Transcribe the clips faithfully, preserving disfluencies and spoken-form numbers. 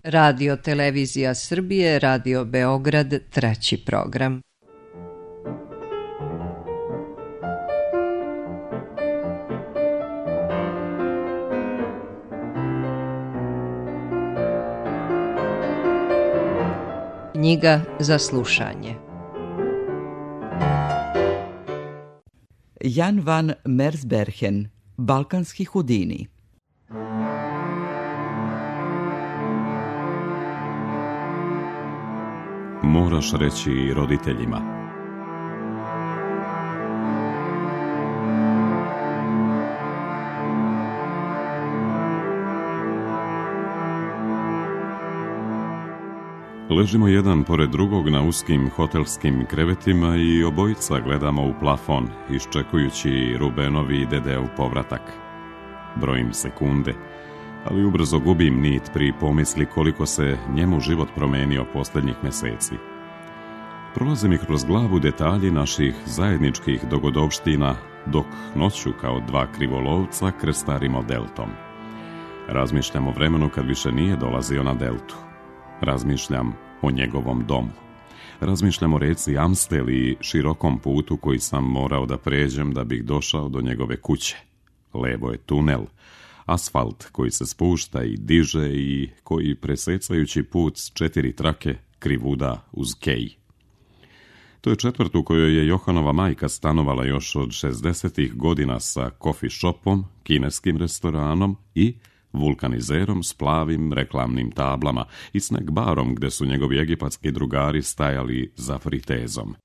Radio Televizija Srbije, Radio Beograd, treći program. Knjiga za slušanje. Jan van Mersbergen, Balkanski Houdini. Moraš reći roditeljima. Ležimo jedan pored drugog na uskim hotelskim krevetima i obojica gledamo u plafon, iščekujući Rubenovi i Dedeov povratak. Brojim sekunde, ali ubrzo gubim nit pri pomisli koliko se njemu život promenio posljednjih meseci. Prolaze mi kroz glavu detalji naših zajedničkih dogodovština, dok noću kao dva krivolovca krstarimo deltom. Razmišljam o vremenu kad više nije dolazio na deltu. Razmišljam o njegovom domu. Razmišljam o reci Amstel i širokom putu koji sam morao da pređem da bih došao do njegove kuće. Levo je tunel, asfalt koji se spušta i diže i koji presecajući put s četiri trake krivuda uz kej. To je četvrt u kojoj je Johanova majka stanovala još od šezdesetih godina sa coffee shopom, kineskim restoranom i vulkanizerom s plavim reklamnim tablama i snack barom gde su njegovi egipatski drugari stajali za fritezom.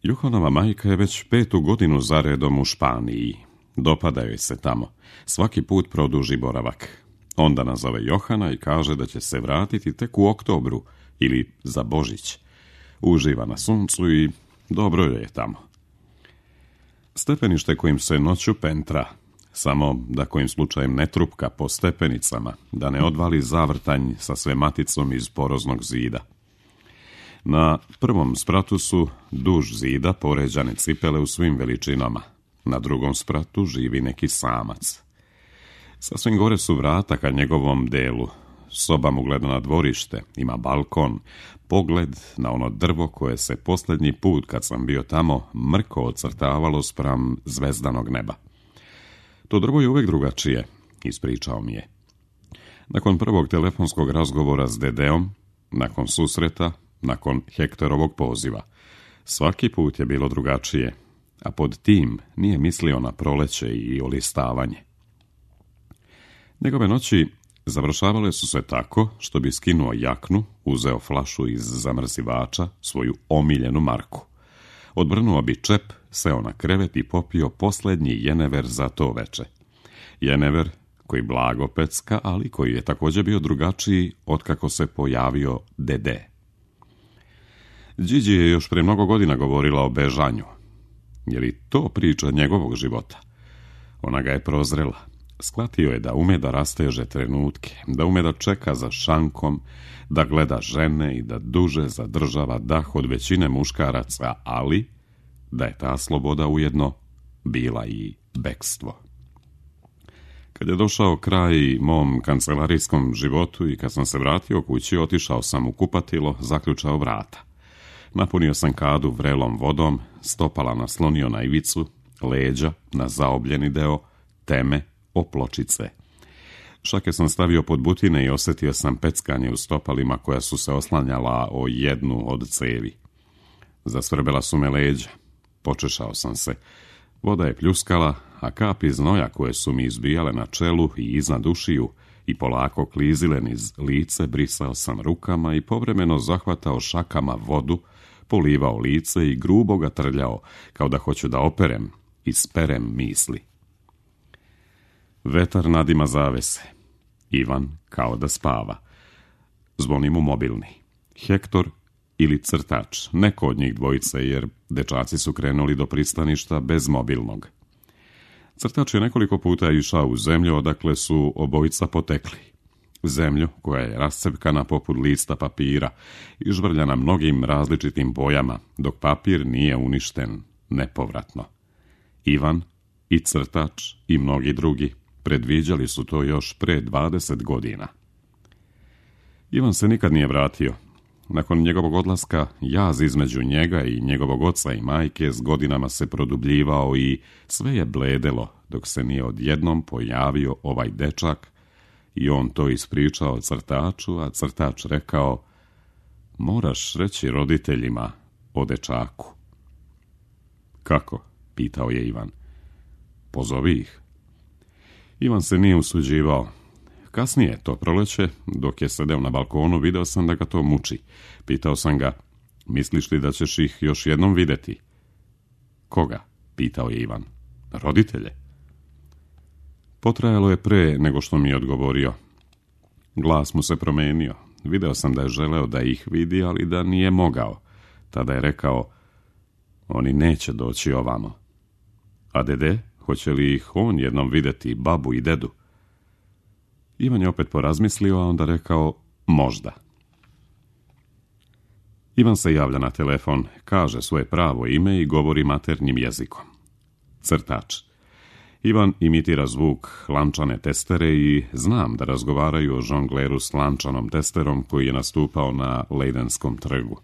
Johanova majka je već petu godinu zaredom u Španiji. Dopada joj se tamo. Svaki put produži boravak. Onda nazove Johana i kaže da će se vratiti tek u oktobru ili za Božić. Uživa na suncu i dobro joj je tamo. Stepenište kojim se noću pentra, samo da kojim slučajem ne trupka po stepenicama, da ne odvali zavrtanj sa sve maticom iz poroznog zida. Na prvom spratu su duž zida poređane cipele u svim veličinama. Na drugom spratu živi neki samac. Sasvim gore su vrata ka njegovom delu. Soba mu gleda na dvorište, ima balkon, pogled na ono drvo koje se posljednji put kad sam bio tamo mrko ocrtavalo spram zvezdanog neba. To drvo je uvek drugačije, ispričao mi je. Nakon prvog telefonskog razgovora s Dedeom, nakon susreta, nakon Hektorovog poziva, svaki put je bilo drugačije, a pod tim nije mislio na proleće i olistavanje. Njegove noći završavale su se tako što bi skinuo jaknu, uzeo flašu iz zamrzivača, svoju omiljenu marku. Odbrnuo bi čep, seo na krevet i popio posljednji jenever za to veče. Jenever koji blago pecka, ali koji je također bio drugačiji otkako se pojavio Dede. Điđi je još pre mnogo godina govorila o bežanju. Je li to priča njegovog života? Ona ga je prozrela. Shvatio je da ume da rasteže trenutke, da ume da čeka za šankom, da gleda žene i da duže zadržava dah od većine muškaraca, ali da je ta sloboda ujedno bila i bekstvo. Kad je došao kraj mom kancelarijskom životu i kad sam se vratio kući, otišao sam u kupatilo, zaključao vrata. Napunio sam kadu vrelom vodom, stopala naslonio na ivicu, leđa na zaobljeni deo, teme opločice. Šake sam stavio pod butine i osjetio sam peckanje u stopalima koja su se oslanjala o jednu od cevi. Zasvrbela su me leđa. Počešao sam se. Voda je pljuskala, a kapi znoja koje su mi izbijale na čelu i iznad ušiju i polako klizile niz lice, brisao sam rukama i povremeno zahvatao šakama vodu, polivao lice i grubo ga trljao, kao da hoću da operem i sperem misli. Vetar nadima zavese. Ivan kao da spava. Zvoni mu mobilni. Hektor ili crtač, neko od njih dvojice, jer dečaci su krenuli do pristaništa bez mobilnog. Crtač je nekoliko puta išao u zemlju odakle su obojica potekli. Zemlju koja je rascepkana poput lista papira i žvrljana mnogim različitim bojama, dok papir nije uništen nepovratno. Ivan i crtač i mnogi drugi predviđali su to još pre dvadeset godina. Ivan se nikad nije vratio. Nakon njegovog odlaska, jaz između njega i njegovog oca i majke s godinama se produbljivao i sve je bledelo dok se nije odjednom pojavio ovaj dečak i on to ispričao crtaču, a crtač rekao: moraš reći roditeljima o dečaku. Kako? Pitao je Ivan. Pozovi ih. Ivan se nije usuđivao. Kasnije, to proleće, dok je sedeo na balkonu, video sam da ga to muči. Pitao sam ga: misliš li da ćeš ih još jednom vidjeti? Koga? Pitao je Ivan. Roditelje. Potrajalo je pre nego što mi je odgovorio. Glas mu se promenio. Video sam da je želeo da ih vidi, ali da nije mogao. Tada je rekao: oni neće doći ovamo. A dede, hoće li ih on jednom vidjeti, babu i dedu? Ivan je opet porazmislio, a onda rekao: možda. Ivan se javlja na telefon, kaže svoje pravo ime i govori maternjim jezikom. Crtač. Ivan imitira zvuk lančane testere i znam da razgovaraju o žongleru s lančanom testerom koji je nastupao na Lejdenskom trgu.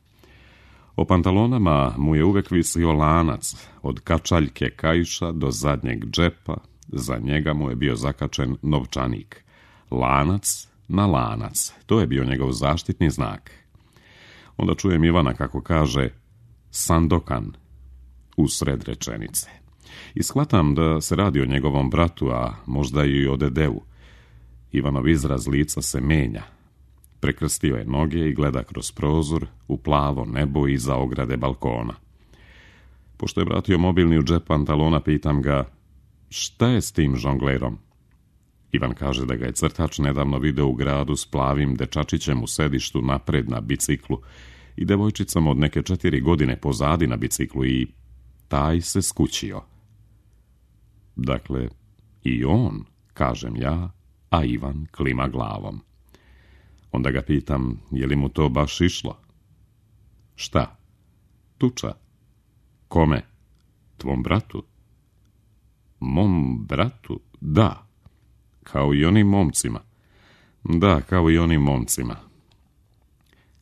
O pantalonama mu je uvek visio lanac, od kačaljke kaiša do zadnjeg džepa, za njega mu je bio zakačen novčanik. Lanac na lanac, to je bio njegov zaštitni znak. Onda čujem Ivana kako kaže Sandokan usred rečenice. I shvatam da se radi o njegovom bratu, a možda i o dedeu. Ivanov izraz lica se menja. Prekrstio je noge i gleda kroz prozor u plavo nebo iza ograde balkona. Pošto je vratio mobilni u džep pantalona, pitam ga: šta je s tim žonglerom? Ivan kaže da ga je crtač nedavno video u gradu s plavim dečačićem u sedištu napred na biciklu i devojčicom od neke četiri godine pozadi na biciklu i taj se skućio. Dakle, i on, kažem ja, a Ivan klima glavom. Onda ga pitam, je li mu to baš išlo? Šta? Tuča? Kome? Tvom bratu? Mom bratu? Da. Kao i onim momcima. Da, kao i onim momcima.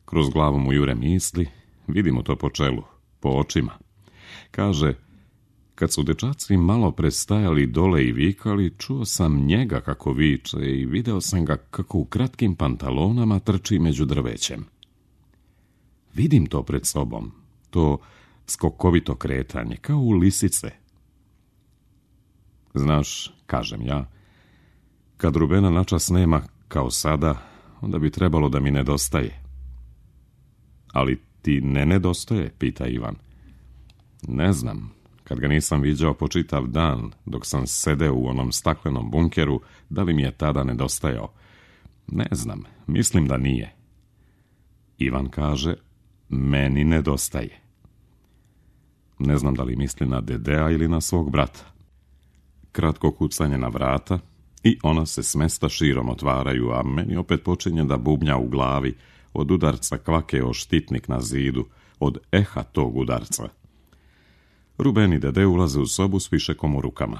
Kroz glavu mu jure misli, vidimo to po čelu, po očima. Kaže: kad su dečaci malo prestajali dole i vikali, čuo sam njega kako viče i video sam ga kako u kratkim pantalonama trči među drvećem. Vidim to pred sobom, to skokovito kretanje, kao u lisice. Znaš, kažem ja, kad Rubena načas nema kao sada, onda bi trebalo da mi nedostaje. Ali ti ne nedostaje, pita Ivan. Ne znam, kad ga nisam viđao po čitav dan, dok sam sedeo u onom staklenom bunkeru, da li mi je tada nedostajao? Ne znam, mislim da nije. Ivan kaže: meni nedostaje. Ne znam da li misli na dedea ili na svog brata. Kratko kucanje na vrata i ona se s mesta širom otvaraju, a meni opet počinje da bubnja u glavi od udarca kvake o štitnik na zidu, od eha tog udarca. Ruben i dede ulaze u sobu s fišekom u rukama.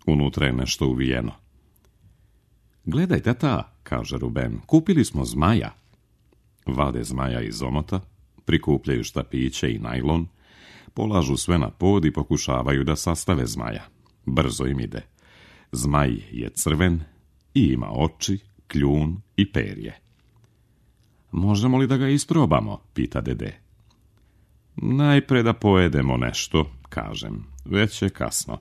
Unutra je nešto uvijeno. Gledaj, tata, kaže Ruben, kupili smo zmaja. Vade zmaja iz omota, prikupljaju štapiće i najlon, polažu sve na pod i pokušavaju da sastave zmaja. Brzo im ide. Zmaj je crven i ima oči, kljun i perje. Možemo li da ga isprobamo, pita dede. Najpre da pojedemo nešto, kažem, već je kasno.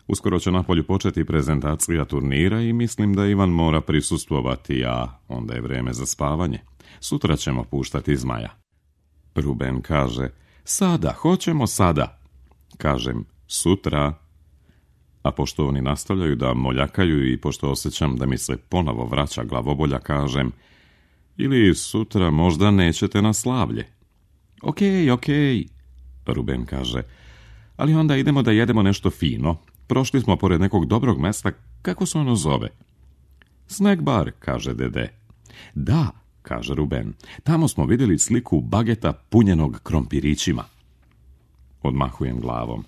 Uskoro će napolju početi prezentacija turnira i mislim da Ivan mora prisustvovati, a onda je vreme za spavanje. Sutra ćemo puštati zmaja. Ruben kaže: sada, hoćemo sada. Kažem: sutra. A pošto oni nastavljaju da moljakaju i pošto osjećam da mi se ponovo vraća glavobolja, kažem: ili sutra možda nećete na slavlje. Okej, okej, Ruben kaže, ali onda idemo da jedemo nešto fino. Prošli smo pored nekog dobrog mesta, kako se ono zove? Snack bar, kaže dede. Da, kaže Ruben, tamo smo vidjeli sliku bageta punjenog krompirićima. Odmahujem glavom.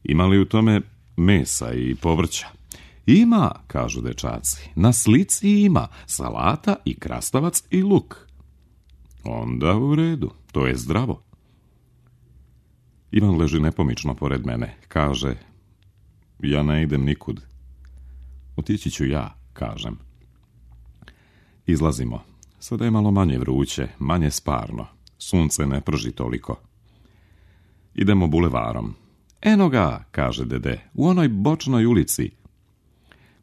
Ima li u tome mesa i povrća? Ima, kažu dečaci, na slici ima salata i krastavac i luk. Onda u redu, to je zdravo. Ivan leži nepomično pored mene, kaže, ja ne idem nikud. Otići ću ja, kažem. Izlazimo. Sada je malo manje vruće, manje sparno. Sunce ne prži toliko. Idemo bulevarom. Eno ga, kaže dede, u onoj bočnoj ulici.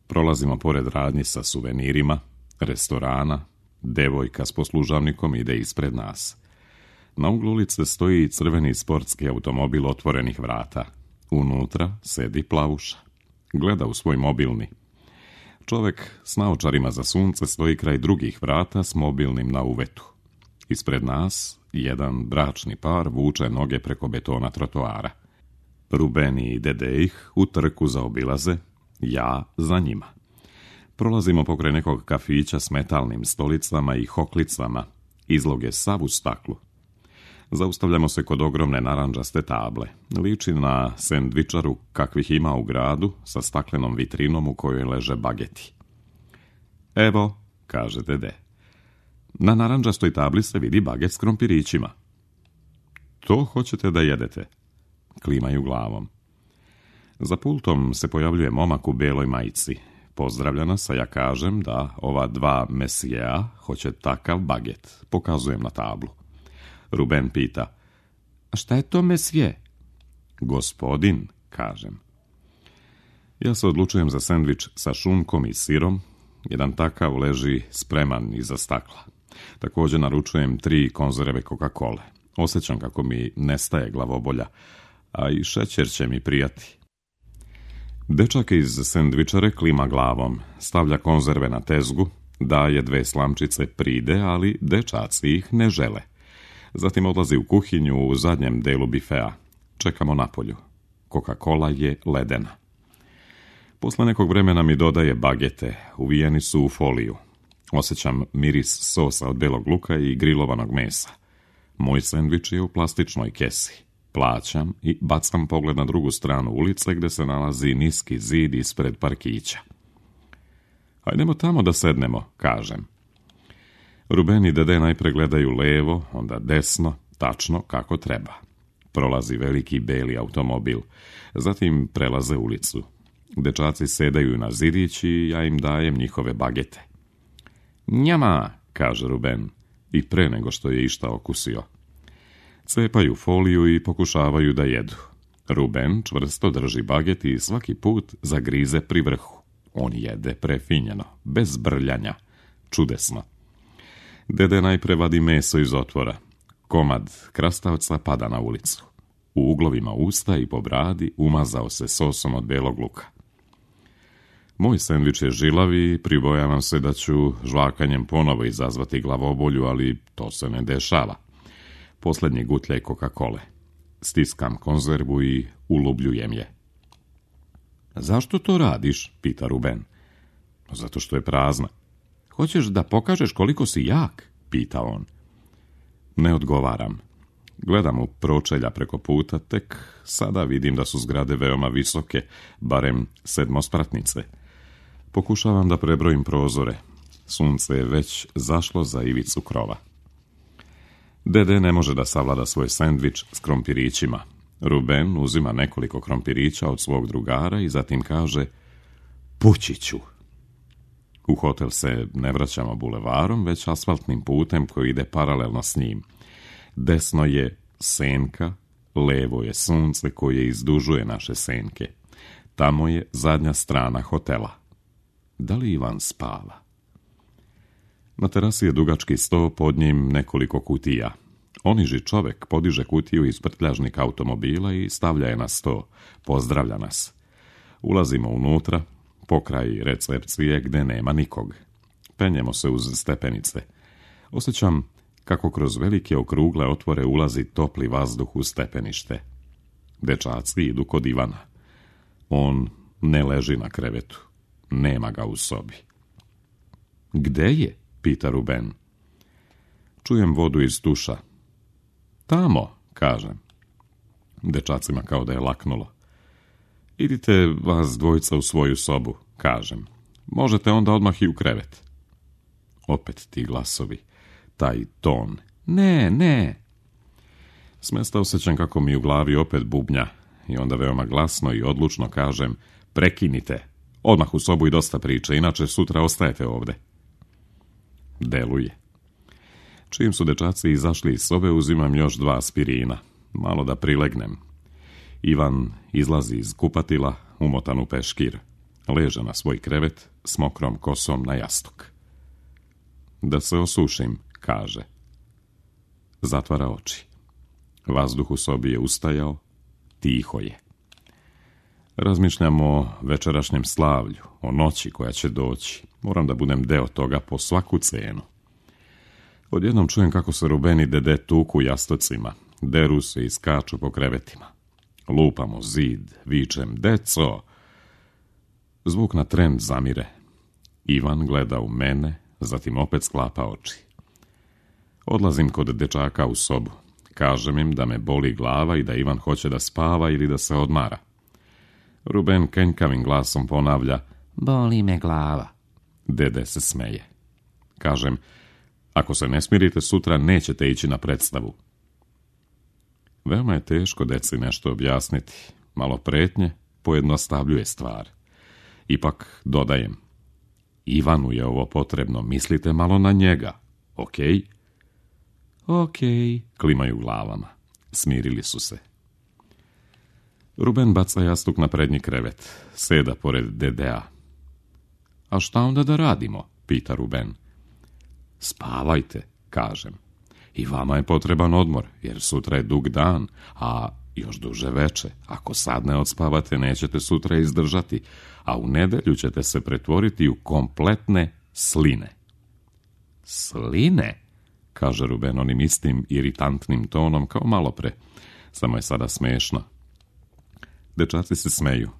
Prolazimo pored radnji sa suvenirima, restorana, devojka s poslužavnikom ide ispred nas. Na uglu ulice stoji crveni sportski automobil otvorenih vrata. Unutra sedi plavuša. Gleda u svoj mobilni. Čovek s naočarima za sunce stoji kraj drugih vrata s mobilnim na uvetu. Ispred nas jedan bračni par vuče noge preko betona trotoara. Rubeni i dede ih u trku zaobilaze, ja za njima. Prolazimo pokraj nekog kafića s metalnim stolicama i hoklicama, izloge sav u staklu. Zaustavljamo se kod ogromne narandžaste table. Liči na sendvičaru kakvih ima u gradu, sa staklenom vitrinom u kojoj leže bageti. Evo, kaže dede, na narandžastoj tabli se vidi baget s krompirićima. To hoćete da jedete? Klimaju glavom. Za pultom se pojavljuje momak u beloj majici. Pozdravlja nas, a ja kažem da ova dva mesijea hoće takav baget. Pokazujem na tablu. Ruben pita, a šta je to mesije? Gospodin, kažem. Ja se odlučujem za sendvič sa šunkom i sirom. Jedan takav leži spreman iza stakla. Također naručujem tri konzerve Coca-Cole. Osjećam kako mi nestaje glavobolja, a i šećer će mi prijati. Dečak iz sendvičare klima glavom, stavlja konzerve na tezgu, daje dve slamčice pride, ali dečaci ih ne žele. Zatim odlazi u kuhinju u zadnjem delu bifea. Čekamo napolju. Coca-Cola je ledena. Posle nekog vremena mi dodaje bagete, uvijeni su u foliju. Osjećam miris sosa od belog luka i grilovanog mesa. Moj sendvič je u plastičnoj kesi. Plaćam i bacam pogled na drugu stranu ulice gdje se nalazi niski zid ispred parkića. Hajdemo tamo da sednemo, kažem. Ruben i dede najpre gledaju levo, onda desno, tačno kako treba. Prolazi veliki beli automobil, zatim prelaze ulicu. Dečaci sedaju na zidić i ja im dajem njihove bagete. Njama, kaže Ruben, i pre nego što je išta okusio. Cepaju foliju i pokušavaju da jedu. Ruben čvrsto drži baget i svaki put zagrize pri vrhu. On jede prefinjeno, bez brljanja. Čudesno. Dede najpre vadi meso iz otvora. Komad krastavca pada na ulicu. U uglovima usta i po bradi umazao se sosom od belog luka. Moj sendvič je žilav i pribojavam se da ću žvakanjem ponovo izazvati glavobolju, ali to se ne dešava. Posljednji gutljaj Coca-Cole. Stiskam konzervu i ulubljujem je. Zašto to radiš? Pita Ruben. Zato što je prazna. Hoćeš da pokažeš koliko si jak? Pita on. Ne odgovaram. Gledam u pročelja preko puta, tek sada vidim da su zgrade veoma visoke, barem sedmospratnice. Pokušavam da prebrojim prozore. Sunce je već zašlo za ivicu krova. Dede ne može da savlada svoj sendvič s krompirićima. Ruben uzima nekoliko krompirića od svog drugara i zatim kaže pući ću. U hotel se ne vraćamo bulevarom, već asfaltnim putem koji ide paralelno s njim. Desno je senka, levo je sunce koje izdužuje naše senke. Tamo je zadnja strana hotela. Da li Ivan spava? Na terasi je dugački sto, pod njim nekoliko kutija. Oniži čovek podiže kutiju iz prtljažnika automobila i stavlja je na sto. Pozdravlja nas. Ulazimo unutra, pokraj recepcije gde nema nikog. Penjemo se uz stepenice. Osjećam kako kroz velike okrugle otvore ulazi topli vazduh u stepenište. Dečaci idu kod Ivana. On ne leži na krevetu. Nema ga u sobi. Gde je? Pita Ruben. Čujem vodu iz tuša. Tamo, kažem. Dečacima kao da je laknulo. Idite vas dvojica u svoju sobu, kažem. Možete onda odmah i u krevet. Opet ti glasovi, taj ton. Ne, ne. Smesta osjećam kako mi u glavi opet bubnja i onda veoma glasno i odlučno kažem, prekinite, odmah u sobu i dosta priče, inače sutra ostajete ovde. Deluje. Čim su dečaci izašli iz sobe, uzimam još dva aspirina, malo da prilegnem. Ivan izlazi iz kupatila, umotan u peškir. Leže na svoj krevet s mokrom kosom na jastuk. Da se osušim, kaže. Zatvara oči. Vazduh u sobi je ustajao, tiho je. Razmišljam o večerašnjem slavlju, o noći koja će doći. Moram da budem deo toga po svaku cenu. Odjednom čujem kako se Ruben i Dede tuku jastocima, deru se i skaču po krevetima. Lupamo zid, vičem, deco! Zvuk na tren zamire. Ivan gleda u mene, zatim opet sklapa oči. Odlazim kod dečaka u sobu. Kažem im da me boli glava i da Ivan hoće da spava ili da se odmara. Ruben kenjkavim glasom ponavlja, boli me glava. Dede se smeje. Kažem, ako se ne smirite sutra, nećete ići na predstavu. Veoma je teško deci nešto objasniti. Malo pretnje pojednostavljuje stvar. Ipak dodajem, Ivanu je ovo potrebno, mislite malo na njega, okej? Okay? Okej, okay, klimaju glavama. Smirili su se. Ruben baca jastuk na prednji krevet, seda pored Dedea. A šta onda da radimo, pita Ruben. Spavajte, kažem. I vama je potreban odmor, jer sutra je dug dan, a još duže veče. Ako sad ne odspavate, nećete sutra izdržati, a u nedelju ćete se pretvoriti u kompletne sline. Sline? Kaže Ruben onim istim iritantnim tonom kao malo pre. Samo je sada smešno. Dečaci se smeju.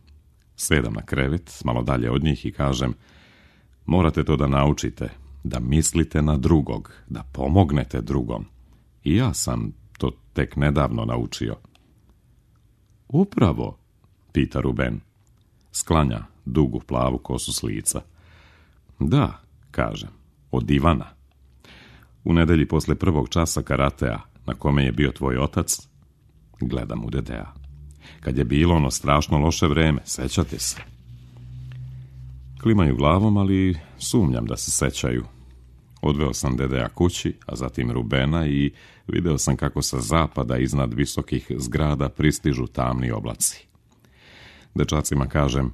Sedam na krevet, malo dalje od njih i kažem, morate to da naučite, da mislite na drugog, da pomognete drugom. I ja sam to tek nedavno naučio. Upravo, pita Ruben. Sklanja dugu plavu kosu s lica. Da, kažem, od Ivana. U nedelji posle prvog časa karatea, na kome je bio tvoj otac, gledam u Dedea. Kad je bilo ono strašno loše vreme, sećate se? Klimaju glavom, ali sumnjam da se sećaju. Odveo sam Dedea kući, a zatim Rubena i video sam kako sa zapada iznad visokih zgrada pristižu tamni oblaci. Dečacima kažem,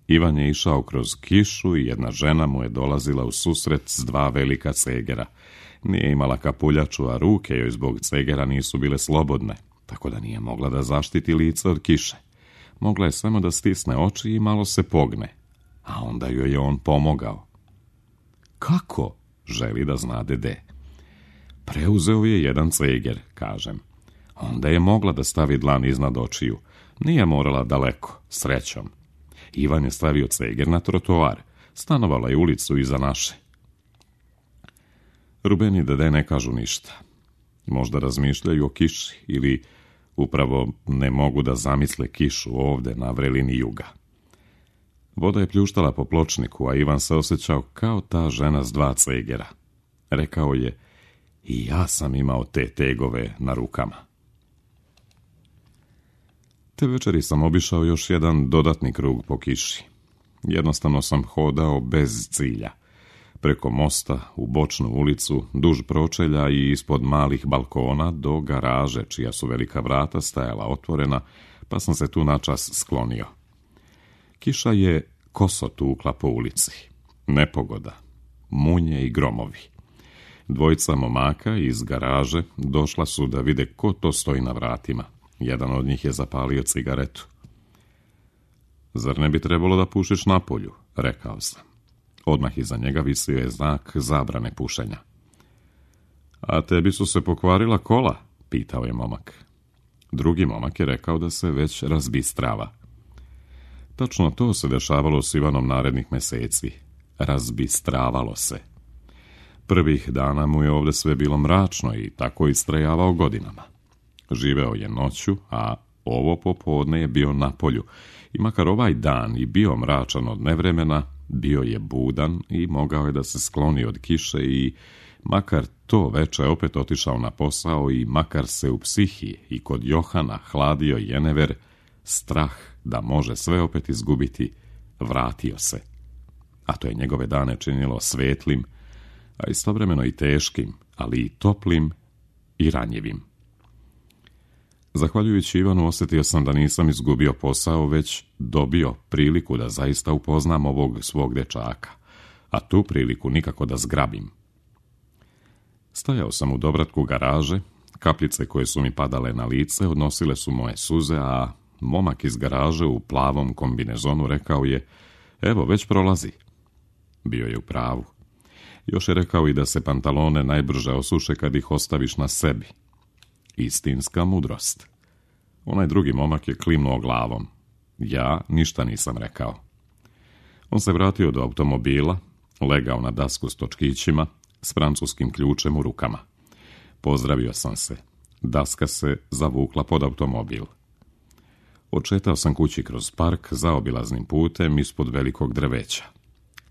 Ivan je išao kroz kišu i jedna žena mu je dolazila u susret s dva velika cegera. Nije imala kapuljaču, a ruke joj zbog cegera nisu bile slobodne, tako da nije mogla da zaštiti lice od kiše. Mogla je samo da stisne oči i malo se pogne, a onda joj je on pomogao. Kako? Želi da zna Dede. Preuzeo je jedan ceger, kažem. Onda je mogla da stavi dlan iznad očiju. Nije morala daleko, srećom. Ivan je stavio ceger na trotoar. Stanovala je ulicu iza naše. Ruben i Dede ne kažu ništa. Možda razmišljaju o kiši ili upravo ne mogu da zamisle kišu ovde na vrelini juga. Voda je pljuštala po pločniku, a Ivan se osjećao kao ta žena s dva cegera. Rekao je, i ja sam imao te tegove na rukama. Te večeri sam obišao još jedan dodatni krug po kiši. Jednostavno sam hodao bez cilja. Preko mosta, u bočnu ulicu, duž pročelja i ispod malih balkona do garaže, čija su velika vrata stajala otvorena, pa sam se tu načas sklonio. Kiša je koso tukla po ulici. Nepogoda, munje i gromovi. Dvojica momaka iz garaže došla su da vide ko to stoji na vratima. Jedan od njih je zapalio cigaretu. Zar ne bi trebalo da pušiš napolju, rekao sam. Odmah iza njega visio je znak zabrane pušenja. A tebi su se pokvarila kola, pitao je momak. Drugi momak je rekao da se već razbistrava. Tačno to se dešavalo s Ivanom narednih meseci. Razbistravalo se. Prvih dana mu je ovde sve bilo mračno i tako istrajavao godinama. Živeo je noću, a ovo popodne je bio na polju I makar ovaj dan i bio mračan od nevremena, bio je budan i mogao je da se skloni od kiše i makar to veče opet otišao na posao i makar se u psihi i kod Johana hladio jenever, strah da može sve opet izgubiti, vratio se. A to je njegove dane činilo svetlim, a istovremeno i teškim, ali i toplim i ranjivim. Zahvaljujući Ivanu osjetio sam da nisam izgubio posao, već dobio priliku da zaista upoznam ovog svog dečaka, a tu priliku nikako da zgrabim. Stajao sam u dovratku garaže, kapljice koje su mi padale na lice odnosile su moje suze, a momak iz garaže u plavom kombinezonu rekao je: evo, već prolazi. Bio je u pravu. Još je rekao i da se pantalone najbrže osuše kad ih ostaviš na sebi. Istinska mudrost. Onaj drugi momak je klimnuo glavom. Ja ništa nisam rekao. On se vratio do automobila, legao na dasku s točkićima, s francuskim ključem u rukama. Pozdravio sam se. Daska se zavukla pod automobil. Odšetao sam kući kroz park zaobilaznim putem ispod velikog drveća.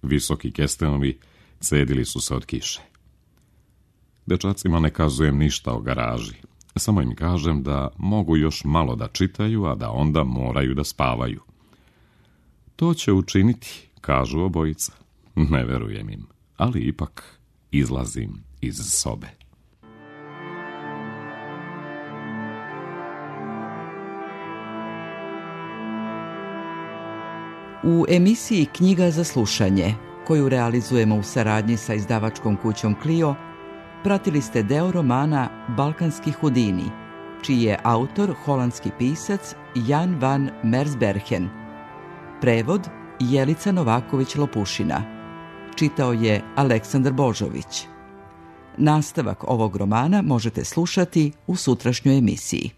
Visoki kestenovi cedili su se od kiše. Dečacima ne kazujem ništa o garaži. Samo im kažem da mogu još malo da čitaju, a da onda moraju da spavaju. To će učiniti, kažu obojica. Ne verujem im, ali ipak izlazim iz sobe. U emisiji Knjiga za slušanje, koju realizujemo u saradnji sa izdavačkom kućom Clio, pratili ste deo romana Balkanski Hudini, čiji je autor holandski pisac Jan van Mersbergen. Prevod Jelica Novaković-Lopušina. Čitao je Aleksandar Božović. Nastavak ovog romana možete slušati u sutrašnjoj emisiji.